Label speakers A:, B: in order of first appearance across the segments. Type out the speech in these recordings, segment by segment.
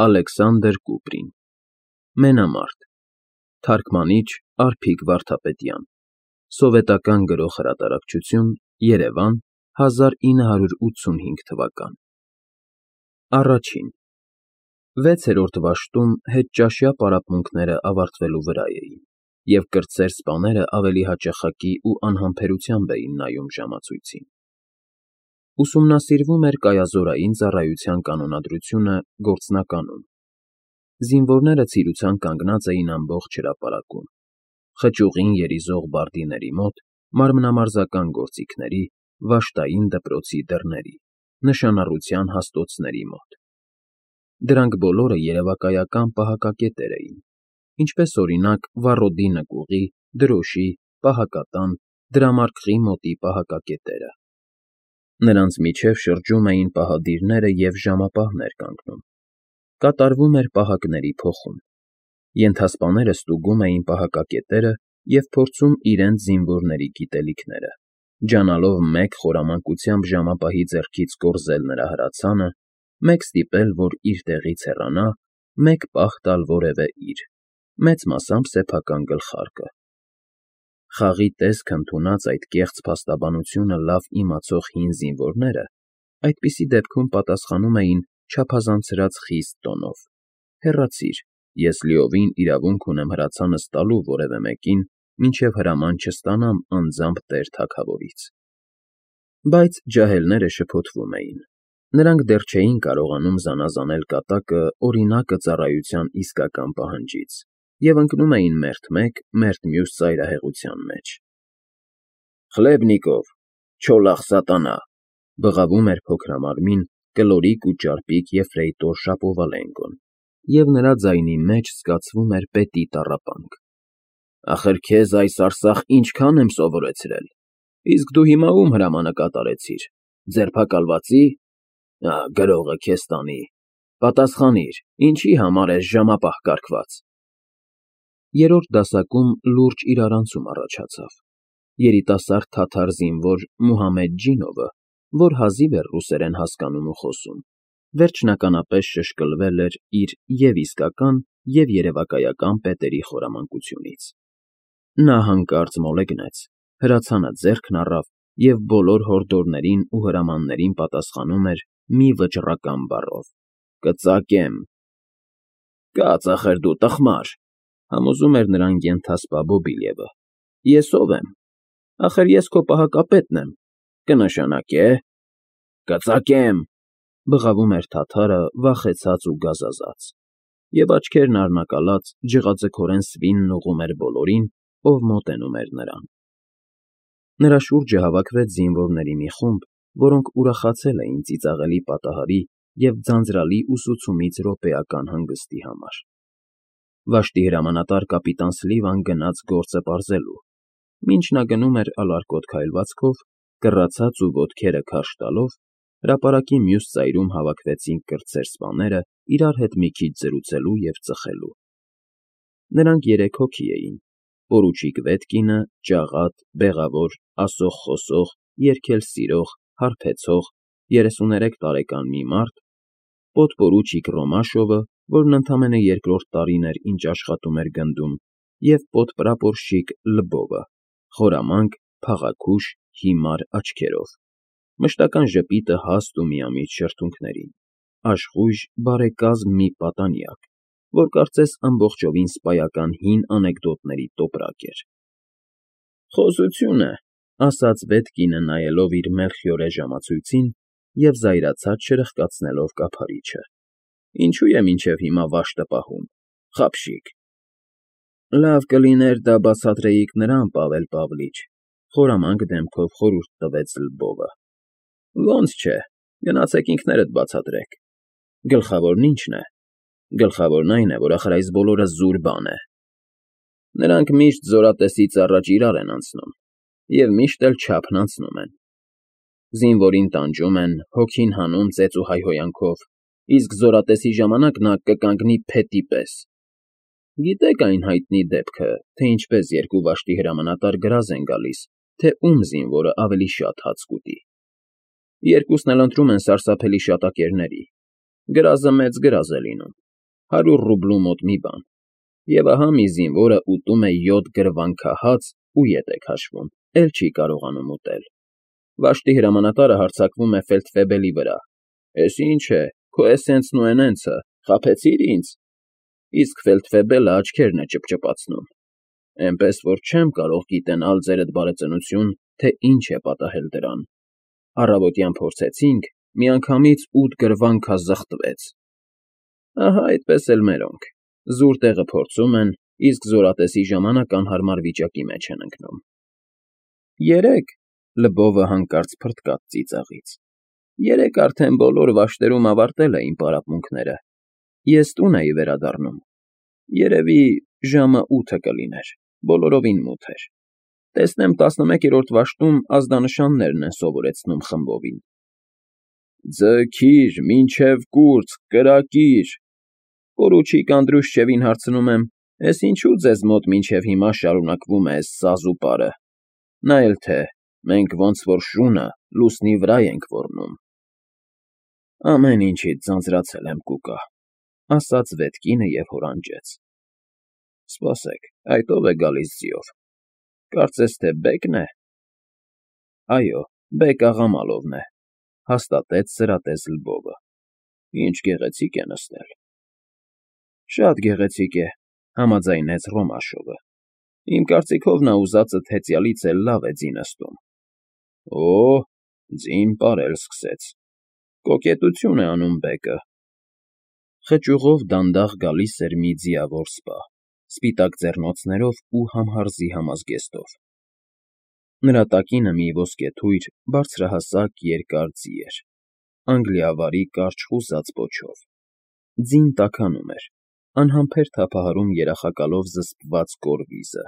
A: Ալեքսանդր Կուպրին Մենամարտ Թարգմանիչ Արփիկ Վարդապետյան Սովետական Գրող Հրատարակչություն Երևան 1985 թվական Առաջին 6-րդ դաշտում հետճաշյա պարապմունքները ավարտվելու վրա էին, և կրտսեր սպաները ավելի հաճախակի ու անհամբերությամբ էին նայում ժամացույցին։ Ուսումնասիրվում էր կայազորային ծառայության կանոնադրությունը գործնականում։ Զինվորները ցիրուցան կանգնած էին ամբողջ հրապարակում, խճուղին երիզող բարդիների մոտ, մարմնամարզական գործիքների, վաշտային դպրոցի դռների, նշանառության հաստոցների մոտ։ Դրանք բոլորը երևակայական պահակակետեր էին, ինչպես օրինակ վառոդի նկուղի, դրոշի, պահակատան, դրամարկղի մոտի պահակակետերը։ Նրանց միջև շրջում էին պահադիրները և ժամապահներ կանգնում։ Կատարվում էր պահակների փոխում։ Ենթասպաները ստուգում էին պահակակետերը և փորձում իրենց զինվորների գիտելիքները, ջանալով մեկ խորամանկությամբ ժամապահի ձեռքից կորզել նրա հրացանը, մեկ ստիպել, որ իր տեղից հեռանա, մեկ պահ տալ որևէ իր, մեծ մասամբ սեփական գլխարկը։ Խաղի տեսք ընդունած այդ կեղծ փաստաբանությունը լավ իմացող հին զինվորները այդպիսի դեպքում պատասխանում էին չափազանցրած խիստ տոնով. «Հեռացիր, ես լիովին իրավունք ունեմ հրացանս տալու որևէ մեկին, մինչև հրաման չստանամ անձամբ տեր թագավորից»։ Բայց ջահելները շփոթվում էին։ Նրանք դեռ չէին կարողանում զանազանել կատակը օրինակը ծառայության իսկական պահանջից և ընկնում էին մերթ մեկ, մերթ մյուս ծայրահեղության մեջ։ «Խլեբնիկով, չոլախ սատանա», բղավում էր փոքրամարմին, կլորիկ ու ճարպիկ եֆրեյտոր Շապովալենկոն, և նրա ձայնի մեջ զգացվում էր պետի տառապանք։ «Ախր քեզ այս արսախ ինչքան եմ սովորեցրել, իսկ դու հիմա ում հրամանը կատարեցիր, ձերբակալվածի՞։ Գրողը քեզ տանի, պատասխանիր, ինչի համար ես ժամապահ կարգված»։ Երրորդ դասակում լուրջ իրարանցում առաջացավ։ Երիտասարդ թաթար զինվոր Մուհամեդ Ջինովը, որ հազիվ էր ռուսերեն հասկանում ու խոսում, վերջնականապես շշկլվել էր իր և՛ իսկական, և՛ երևակայական պետերի խորամանկությունից։ Նա հանկարծ մոլեգնեց, հրացանը ձեռքն առավ և բոլոր հորդորներին ու հրամաններին պատասխանում էր մի վճռական բառով. «Կծակեմ»։ «Կաց, ախր դու տխմար», համոզում էր նրան ենթասպա Բոբիլևը։ «Ես ով եմ։ Ախր ես քո պահակապետն եմ, կնշանակե՞։ «Կծակեմ», բղավում էր թաթարը վախեցած ու գազազած, և աչքերն առնակալած ջղաձգորեն սվինն ուղղում էր բոլորին, ով մոտենում էր նրան։ Նրա շուրջը հավաքվեց զինվորների մի խումբ, որոնք ուրախացել էին ծիծաղելի պատահարի և ձանձրալի ուսուցումից րոպեական հանգստի համար։ Վաշտի հրամանատար կապիտան Սլիվան գնաց գործը պարզելու։ Մինչ նա գնում էր ալարկոտ քայլվածքով, կռացած ու ոտքերը քարշ տալով, հրապարակի մյուս ծայրում հավաքվեցին կրտսեր սպաները իրար հետ մի քիչ զրուցելու և ծխելու։ Նրանք 3 հոգի էին. պորուչիկ Վետկինը, ճաղատ, բեղավոր, ասող֊խոսող, երգել սիրող, հարբեցող, 33 տարեկան մի մարդ, պոդպորուչիկ Ռոմաշովը, որն ընդամենը 2-րդ տարին էր, ինչ աշխատում էր գնդում, և պոդպրապորշիկ Լբովը, խորամանկ, փաղաքուշ, հիմար աչքերով, մշտական ժպիտը հաստ ու միամիտ շրթունքներին, աշխույժ, բարեկազմ մի պատանյակ, որ կարծես ամբողջովին սպայական հին անեկդոտների տոպրակ էր։ «Խոզություն է», ասաց Վետկինը, նայելով իր մելխիորե ժամացույցին և զայրացած չրխկացնելով կափարիչը։ «Ինչու է մինչև հիմա վաշտը պահում, խաբշիկ»։ «Լավ կլիներ դա բացատրեիք նրան, Պավել Պավլիչ», խորամանկ դեմքով խորհուրդ տվեց Լբովը։ «Ոնց չէ, գնացեք ինքներդ բացատրեք։ Գլխավորն ի՞նչն է։ Գլխավորն այն է, որ ախր այս բոլորը զուր բան է։ Նրանք միշտ զորատեսից առաջ իրար են անցնում, և միշտ էլ չափն անցնում են։ Զինվորին տանջում են, հոգին հանում ծեծ ու հայհոյանքով, իսկ զորատեսի ժամանակ նա կկանգնի փետի պես։ Գիտեք այն հայտնի դեպքը, թե ինչպես 2 վաշտի հրամանատար գրազ են գալիս, թե ում զինվորը ավելի շատ հաց կուտի։ Երկուսն էլ ընտրում են սարսափելի շատակերների։ Գրազը մեծ գրազ է լինում, 100 ռուբլու մոտ մի բան, և ահա մի զինվորը ուտում է 7 գրվանքահաց ու ետ է քաշվում, էլ չի կարողանում ուտել։ Վաշտի հրամանատարը հարձակվում է ֆելդֆեբելի վրա. «Էս ինչ է, քո էսենցն ու էնենցը, խաբեցի՞ր ինձ»։ Իսկ ֆելդֆեբելը աչքերն է ճպճպացնում. «Էնպես որ չեմ կարող գիտենալ, ձերդ բարեծնություն, թե ինչ է պատահել դրան։ Առավոտյան փորձեցինք, միանգամից 8 գրվանքա զղթվեց»։ Ահա այդպես էլ մերոնք, զուր տեղը փորձում են, իսկ զորատեսի ժամանակ անհարմար վիճակի մեջ են ընկնում։ Երեկ, Լվովը հանկարծ փրկավ ծիծաղից, երեկ արդեն բոլոր վաշտերում ավարտել էին պարապմունքները, ես տուն էի վերադառնում, երևի ժամը 8 կլիներ, բոլորովին մութ էր, տեսնեմ 11-րդ վաշտում ազդանշաններն են սովորեցնում խմբովին։ Ձգիր, մինչև կուրծք, կրակիր, պորուչիկ Անդրուշչևին հարցնում եմ, էս ինչու ձեզ մոտ մինչև հիմա շարունակվում է էս սազուպարը, նա էլ թե, մենք ոնց որ շունը լուսնի վրա ենք ոռնում։ Ամեն ինչից ձանձրացել եմ կուկա, ասաց Վետկինը և հորանջեց։ Սպասեք, այդ ով է գալիս ձիով, կարծես թե Բեկն է։ Այո, Բեկ Աղամալովն է, հաստատեց սրատես Լվովը։ Ինչ գեղեցիկ է նստել։ Շատ գեղեցիկ է, համաձայնեց Ռոմաշովը։ Իմ կարծիքով նա ուզածդ հեծյալից էլ լավ է ձի նստում։ Օ, ձին պարել սկսեց։ Կոկետություն է անում Բեկը։ Խճուղով դանդաղ գալիս էր մի ձիավոր սպա, սպիտակ ձեռնոցներով ու համհարզի համազգեստով։ Նրա տակինը մի ոսկեթույր, բարձրահասակ երկար ձի էր, անգլիավարի կարճ խուզած պոչով։ Ձին տաքանում էր, անհամբեր թափահարում երախակալով զսպված կորվիզը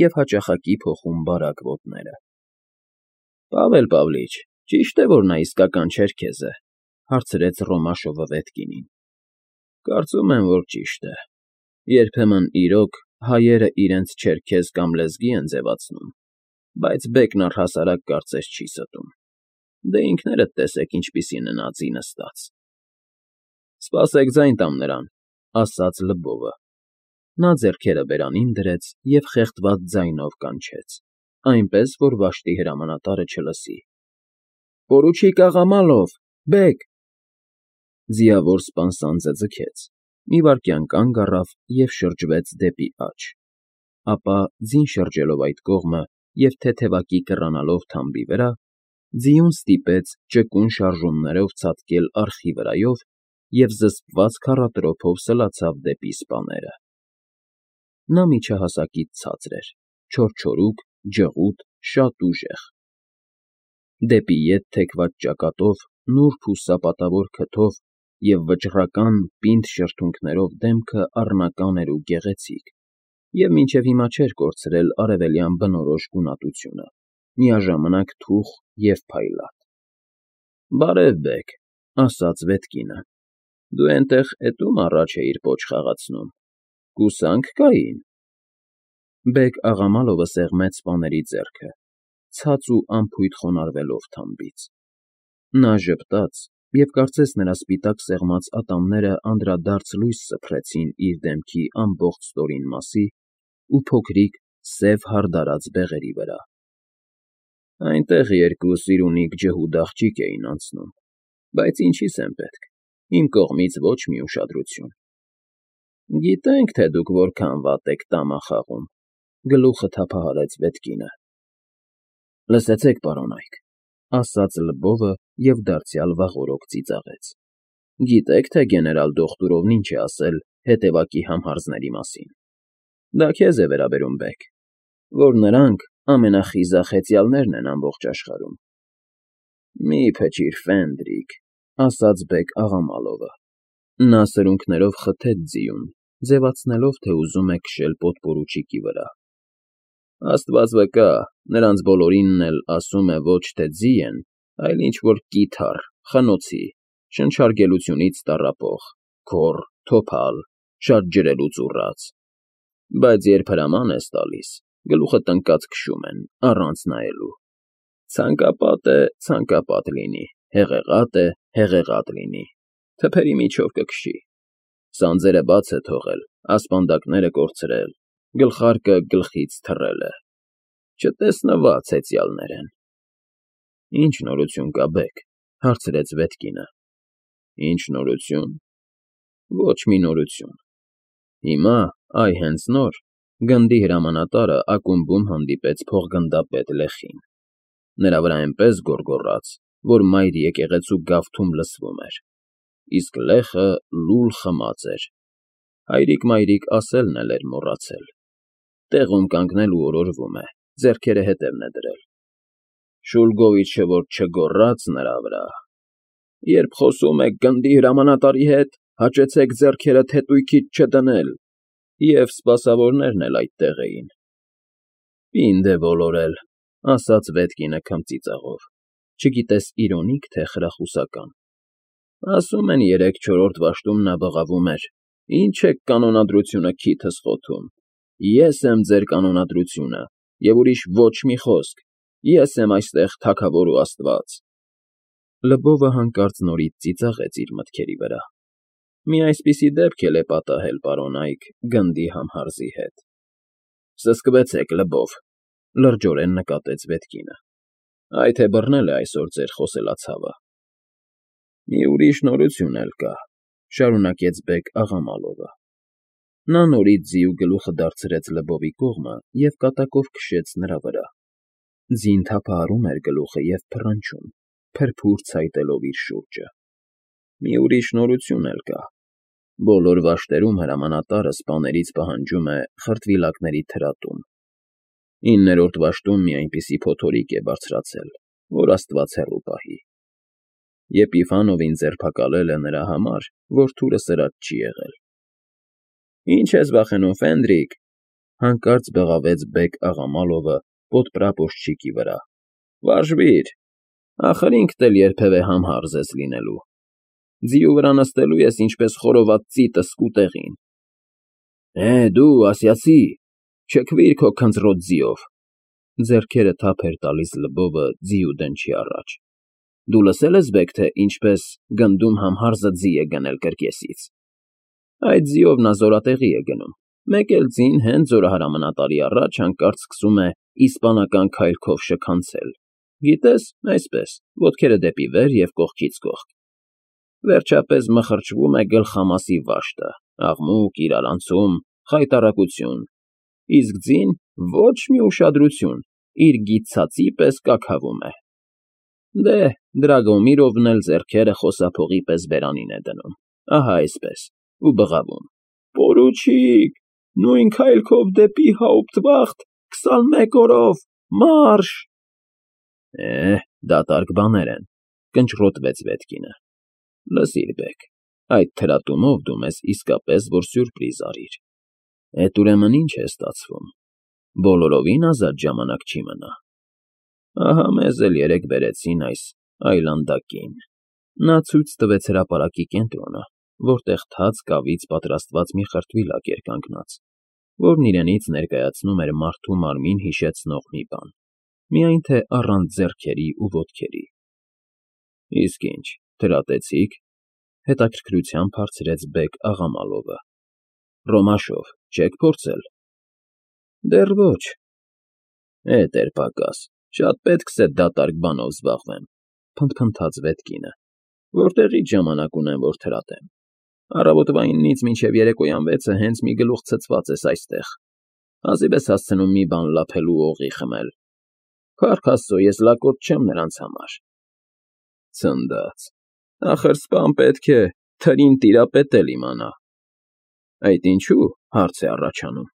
A: և հաճախակի փոխում բարակ ոտները։ Պավել Պավլիչ, ճիշտ է, որ նա իսկական չերքեզ է, հարցրեց Ռոմաշովը Վետկինին։ Կարծում եմ, որ ճիշտ է։ Երբեմն, իրոք, հայերը իրենց չերքեզ կամ լեզգի են ձևացնում, բայց Բեկն առհասարակ կարծես չի ստում։ Դե ինքներդ տեսեք ինչպիսին է նա ձի նստած։ Սպասեք ձայն տամ նրան, ասաց Լվովը։ Նա ձեռքերը բերանին դրեց և խեղդված ձայնով կանչեց, այնպես, որ վաշտի հրամանատարը չլսի. Պորուչիկ Աղամալով, Բեկ։ Ձիավոր սպան սանձը ձգեց, մի վայրկյան կանգ առավ և շրջվեց դեպի աջ, ապա ձին շրջելով այդ կողմը և թեթևակի կռանալով թամբի վրա, ձիուն ստիպեց ճկուն շարժումներով ցատկել արխի վրայով և զսպված քառատրոփով սլացավ դեպի սպաները։ Նա միջահասակից ցածր էր, չորչորուկ, ջղուտ, շատ ուժեղ։ Դեպի ետ թեքված ճակատով, նուրբ ու սապատավոր քթով և վճռական, պինդ շրթունքներով դեմքը առնական էր ու գեղեցիկ, և մինչև հիմա չէր կորցրել արևելյան բնորոշ գունատությունը, միաժամանակ թուխ և փայլատ։ Բարև, Բեկ, ասաց Վետկինը, դու էնտեղ էտում առաջ էիր պոչ խաղացնում, կուսանք կային։ Բեկ Աղամալովը սեղմեց սպաների ձեռքը, ցած ու անփույթ խոնարհվելով թամբից։ Նա ժպտաց, և կարծես նրա սպիտակ սեղմած ատամները անդրադարձ լույս սփռեցին իր դեմքի ամբողջ ստորին մասի ու փոքրիկ, սև հարդարած բեղերի վրա։ Այնտեղ երկու սիրունիկ ջհուդ աղջիկ էին անցնում, բայց ինչի՞ս եմ պետք, իմ կողմից ոչ մի ուշադրություն։ Գիտենք, թե դուք որքան վատ եք տամա խաղում, գլուխը թափահարեց Վետկինը։ Լսեցեք, պարոնայք, ասաց Լվովը և դարձյալ վաղօրոք ծիծաղեց։ Գիտեք, թե գեներալ Դոխտուրովն ինչ է ասել հետևակի համհարզների մասին։ Դա քեզ է վերաբերում, Բեկ, որ նրանք ամենախիզախ հեծյալներն են ամբողջ աշխարհում։ Մի փչիր, Ֆենդրիկ, ասաց Բեկ Աղամալովը։ Նա սրունքներով խթեց ձիուն, ձևացնելով, թե ուզում է քշել պոդպորուչիկի վրա։ Աստված վկա, նրանց բոլորինն էլ ասում է ոչ թե ձի են, այլ ինչ֊որ կիթառ, խնոցի, շնչարգելությունից տառապող, գոռ, թոփալ, շատ ջրելուց ուռած։ Բայց երբ հրաման ես տալիս, գլուխը տնկած քշում են, առանց նայելու։ Ցանկապատ է, ցանկապատ լինի, հեղեղատ է, հեղեղատ լինի, թփերի միջով կքշի։ Սանձերը բաց է թողել, ասպանդակները կորցրել, գլխարկը գլխից թռել է։ Չտեսնված հեծյալներ են։ Ինչ նորություն կա, բեգ, հարցրեց Վետկինը։ Ինչ նորություն։ Ոչ մի նորություն։ Հիմա, այ հենց նոր, գնդի հրամանատարը ակումբում հանդիպեց փոխգնդապետ Լեխին։ Նրա վրա այնպես գոռգոռաց, որ մայր եկեղեցու գավթում լսվում էր, իսկ Լեխը լուլ խմած էր։ Հայրիկ-մայրիկ ասելն էլ էր մոռացել։ Տեղում կանգնել ու օրորվում է, ձեռքերը հետևն է դրել։ Շուլգովիչը որ չգոռաց նրա վրա։ Երբ խոսում եք գնդի հրամանատարի հետ, հաճեցեք ձեռքերը թետույքից չդնել, և սպասավորներն էլ այդտեղ էին։ Պինդ է ոլորել, ասաց Վետկինը քմծիծաղով, չգիտես իրոնիկ, թե խրախուսական։ Ասում են 3-4 դաշտում նա բղավում էր. Ինչ եք կանոնադրությունը քիթս խոթում։ Ես եմ ձեր կանոնադրությունը, և ուրիշ ոչ մի խոսք։ Ես եմ այստեղ թագավոր ու աստված։ Լբովը հանկարծ նորից ծիծաղեց իր մտքերի վրա։ Մի այսպիսի դեպք էլ է պատահել, պարոն Այք, գնդի համհարզի հետ։ Սսկվեցեք, Լբով, լրջորեն նկատեց Վետկինը։ Այ թե բռնել է այսօր ձեր խոսելացավը։ Մի ուրիշ նորություն էլ կա, շարունակեց բեգ Աղամալովը։ Նա նորից ձիու գլուխը դարձրեց Լբովի կողմը և կատակով քշեց նրա վրա։ Ձին թափահարում էր գլուխը և փռնչում, փրփուր ցայտելով իր շուրջը։ Մի ուրիշ նորություն էլ կա։ Բոլոր վաշտերում հրամանատարը սպաներից պահանջում է խրտվիլակների թրատում։ 9-րդ վաշտում մի այնպիսի փոթորիկ է բարձրացել, որ աստված հեռու պահի։ Եպիֆանովին ձերբակալել է նրա համար, որ թուրը սրած չի եղել։ Ինչ ես վախենում, Ֆենդրիկ, հանկարծ բղավեց բեգ Աղամալովը պոդպրապոշչիկի վրա։ Վարժվիր, ախր ինքդ էլ երբևէ համհարզ ես լինելու։ Ձիու վրա նստելու ես ինչպես խորոված ծիտը սկուտեղին։ Դու, ասյացի, չքվիր քո քնձռոտ ձիով։ Ձեռքերը թափ էր տալիս Լբովը ձիու դնչի առաջ։ Դու լսել ես, բեգ, թե ինչպես գնդում համհարզը ձի է գնել կրկեսից։ Այդ ձիով նա զորատեղի է գնում։ Մեկ էլ ձին հենց զորահրամանատարի առաջ հանկարծ սկսում է իսպանական քայլքով շքանցել։ Գիտես, այսպես, ոտքերը դեպի վեր և կողքից կողք։ Վերջապես մխրճվում է գլխամասի վաշտը, աղմուկ, իրարանցում, խայտառակություն, իսկ ձին ոչ մի ուշադրություն, իր գիթծածի պես կաքավում է։ Դե, Դրագոմիրովն էլ ձեռքերը խոսափողի պես բերանին է դնում, ահա այսպես, ու բղավում. Պորուչիկ, նույն քայլքով դեպի Հաուպտվախտ, 21 օրով, մարշ։ Դատարկ բաներ են, կնճռոտվեց Վետկինը։ Լսիր, բեգ, այդ թրատումով դու մեզ իսկապես որ սյուրպրիզ արիր։ Էդ ուրեմն ինչ է ստացվում։ Բոլորովին ազատ ժամանակ չի մնա։ Ահա մեզ էլ երեկ բերեցին այս այլանդակին։ Նա ցույց տվեց հրապարակի կենտրոնը, որտեղ թաց կավից պատրաստված մի խրտվիլակ էր կանգնած, որն իրենից ներկայացնում էր մարդու մարմին հիշեցնող մի բան, միայն թե առանց ձեռքերի ու ոտքերի։ Իսկ ինչ, դրատեցի՞ք, հետաքրքրությամբ հարցրեց բեգ Աղամալովը։ Ռոմաշով չեք փորձել։ Դեռ ոչ։ Էր պակաս, շատ պետք է դատարկ բանով զբաղվեմ, փնթփնթաց Վետկինը, որտեղից ժամանակ ունեմ, որ թրատեմ։ Առավոտվա 9-ից մինչև երեկոյան 6-ը հենց մի գլուխ ցցված ես այստեղ։ Հազիվ ես հասցնում մի բան լափել ու օղի խմել։ Փառք Աստծո, ես լակոտ չեմ նրանց համար։ Ցնդած։ Ախր սպան պետք է թրին տիրապետել իմանա։ Այդ ինչու, հարց է առաջանում։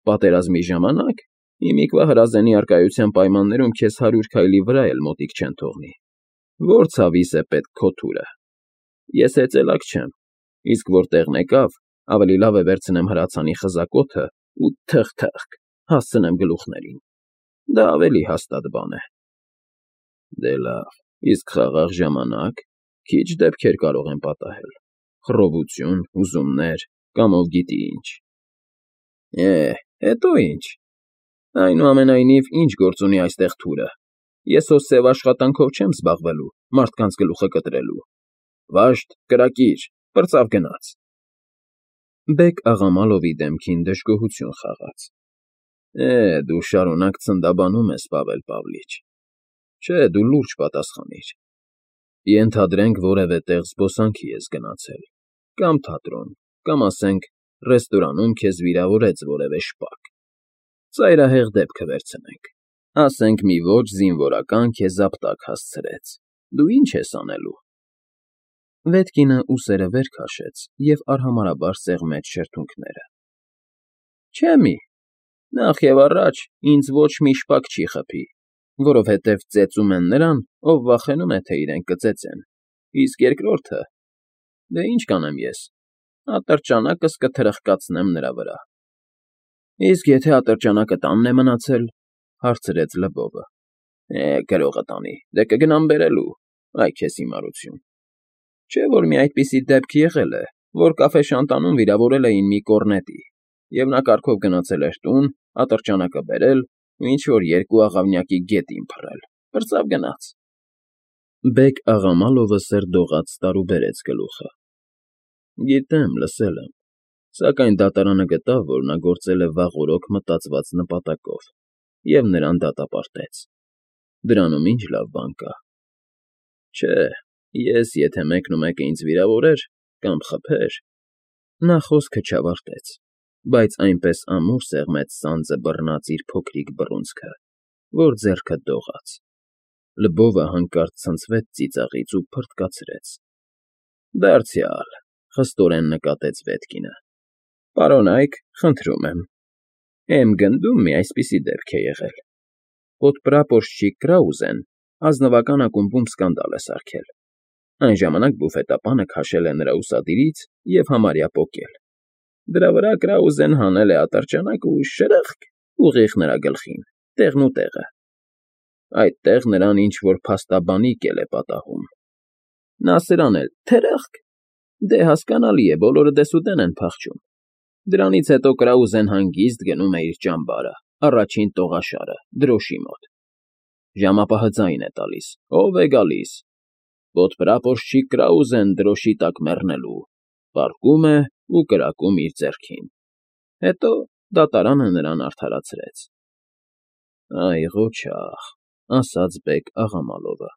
A: Պատերազմի ժամանակ Իմիկվա հրազենի առկայության պայմաններում քեզ 100 քայլի վրա էլ մոտիկ չեն թողնի։ Որ ցավիս է պետք քո թուրը։ Ես հեծելակ չեմ, իսկ որ տեղն եկավ, ավելի լավ է վերցնեմ հրացանի խզակոթը ու թխ-թխ հասցնեմ գլուխներին։ Դա ավելի հաստատ բան է։ Դե լավ, իսկ խաղաղ ժամանակ քիչ դեպքեր կարող են պատահել։ Խռովություն, ուզումներ, կամ ով գիտի ինչ։ Հետո ինչ։ Այնուամենայնիվ, ինչ գործ ունի այստեղ թուրը։ Ես հո սև աշխատանքով չեմ զբաղվելու, մարդկանց գլուխը կտրելու։ Վաշտ, կրակիր, պրծավ գնաց։ Բեկ Աղամալովի դեմքին դժգոհություն խաղաց։ Դու շարունակ ցնդաբանում ես, Պավել Պավլիչ։ Չէ, դու լուրջ պատասխանիր։ Ենթադրենք որևէ տեղ զբոսանքի ես գնացել, կամ թատրոն, կամ ասենք ռեստորանում քեզ վիրավորեց որևէ շպակ։ Ծայրահեղ դեպքը վերցնենք։ Ասենք մի ոչ զինվորական քեզ ապտակ հասցրեց։ Դու ինչ ես անելու։ Վետկինը ուսերը վեր քաշեց և արհամարհաբար սեղմեց շրթունքները։ Չէ մի, նախ և առաջ ինձ ոչ մի շպակ չի խփի, որովհետև ծեծում են նրան, ով վախենում է, թե իրեն կծեծեն, իսկ երկրորդը… Դե ինչ կանեմ ես, ատրճանակս կթրխկացնեմ նրա վրա։ Իսկ եթե ատրճանակը տանն է մնացել, հարցրեց Լվովը։ Գրողը տանի, դե կգնամ բերելու, այ քեզ հիմարություն։ Չէ՞ որ մի այդպիսի դեպք եղել է, որ կաֆեշանտանում վիրավորել էին մի կոռնետի, և նա կառքով գնացել էր տուն, ատրճանակը բերել ու ինչ֊որ երկու աղավնյակի գետին փռել, պրծավ գնաց։ Բեկ Աղամալովը սրդողաց տարուբերեց գլուխը։ Գիտեմ, լսել եմ, սակայն դատարանը գտավ, որ նա գործել է վաղօրոք մտածված նպատակով և նրան դատապարտեց։ Դրանում ինչ լավ բան կա։ Չէ, ես եթե մեկնումեկը ինձ վիրավորեր կամ խփեր… Նա խոսքը չավարտեց, բայց այնպես ամուր սեղմեց սանձը բռնած իր փոքրիկ բռունցքը, որ ձեռքը դողաց։ Լվովը հանկարծ ցնցվեց ծիծաղից ու փռթկացրեց։ Դարձյալ, խստորեն նկատեց Վետկինը։ Պարոնայք, խնդրում եմ։ Էմ գնդում մի այսպիսի դեպք է եղել. Պոդպրապորշչիկ Կրաուզեն ազնվական ակումբում սկանդալ է սարքել։ Այն ժամանակ բուֆետապանը քաշել է նրա ուսադիրից և համարյա պոկել։ Դրա վրա Կրաուզեն հանել է ատրճանակ ու շրըխկ, ուղիղ նրա գլխին, տեղնուտեղը։ Այդտեղ նրան ինչ֊որ փաստաբանիկ էլ է պատահում։ Նա սրան էլ թրըխկ… Դե, հասկանալի է, բոլորը դեսուդեն են փախչում։ Դրանից հետո Կրաուզեն հանգիստ գնում է իր ճամբարը, առաջին տողաշարը, դրոշի մոտ։ Ժամապահը ձայն է տալիս. ով է գալիս։ Պոդպրապորշչիկ Կրաուզեն դրոշի տակ մեռնելու։ Պառկում է ու կրակում իր ձեռքին։ Հետո դատարանը նրան արդարացրեց։ Այ ղոչաղ, ասաց Բեկ Աղամալովը։